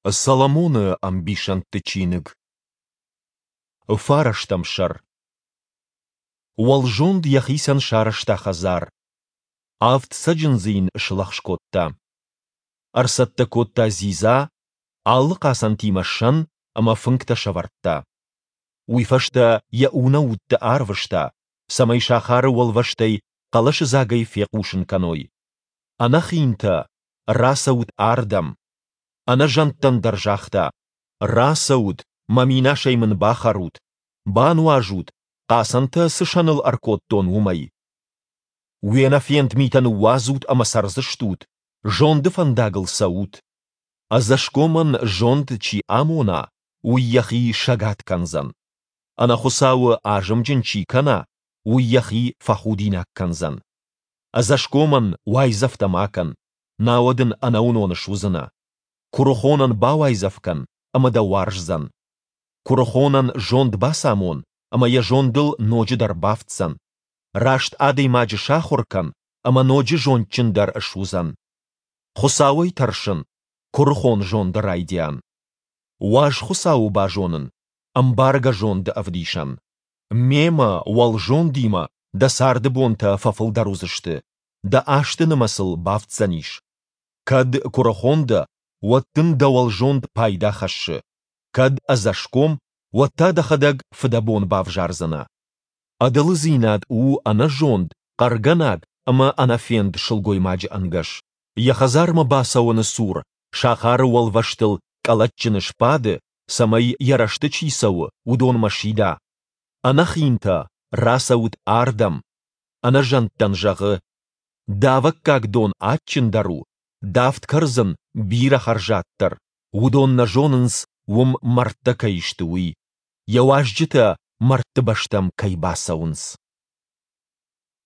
Соломоны ӕмбисӕндты чиныг. Фарӕстӕм сӕр. Уӕлзонд йӕхицӕн сарӕзта хӕдзар. Авд цӕджындзы йын слӕгъз кодта. Ӕрцӕттӕ кодта дзидза, алы хъацӕнтимӕ сӕн ӕмӕ фынгтӕ сӕвӕрдта. Уый фӕстӕ йӕ унӕутты арвыста, цӕмӕй сахары уӕлвӕзтӕй хъӕлӕсыдзагӕй фехъусын кӕной: Ӕнӕхинтӕ, рацӕут ардӕм! Ӕнӕзӕндтӕн дӕр загъта: Рацӕут, мӕ минасӕй мын бахӕрут, бануазут, хъацӕнтӕ цы сӕныл ӕркодтон, уымӕй. Уе нӕфенд митӕ ныууадзут ӕмӕ цӕрдзыстут, зонды фӕндагыл цӕут. Ӕдзӕсгомӕн зонд чи амона, уый йӕхи сӕгад кӕндзӕн. Ӕнӕхуыцауы азымджын чи кӕна, уый йӕхи фӕхудинаг кӕндзӕн. Ӕдзӕсгомӕн уайдзӕфтӕ ма кӕн, науӕд ын ӕнӕуынон суыдзынӕ. Куырыхонӕн бауайдзӕф кӕн, ӕмӕ дӕ уарздзӕн. Куырыхонӕн зонд бацамон, ӕмӕ йӕ зондыл ноджыдӕр бафтдзӕн. Раст адӕймаджы сахуыр кӕн, ӕмӕ ноджы зондджындӕр суыдзӕн. Хуыцауӕй тӕрсын, куырыхон зонды райдиан. Уаз Хуыцауы базонын, ӕмбаргӕ зонды ӕвдисӕн. Мемӕ, уӕлзондимӕ, дӕ царды бонтӕ фӕфылдӕр уыдзысты, дӕ азты нымӕцыл бафтдзӕнис. Кӕд куырыхон дӕ, уӕд дын дӕ уӕлзонд пайда хӕссы, кӕд ӕдзӕсгом, уӕд та дӕхӕдӕг фыдӕбон бавзардзынӕ. Ӕдылыдзинад у ӕнӕзонд, хъӕргӕнаг ӕмӕ ӕнӕфенд сылгоймаджы ӕнгӕс. Йӕ хӕдзармӕ бацӕуӕны цур сахары уӕлвӕзтыл къӕлӕтджыны сбады, цӕмӕй йӕ рӕзты чи цӕуы, уыдонмӕ сида: Ӕнӕхинтӕ, рацӕут ардӕм! Ӕнӕзӕндтӕн зӕгъы: Давӕггаг дон адджындӕр у, давд кӕрдзын бирӕ хӕрзаддӕр. Уыдон нӕ зонынц, уым мӕрдтӕ кӕй сты, уый, йӕ уазджытӕ мӕрдты бӕстӕм кӕй бацӕуынц.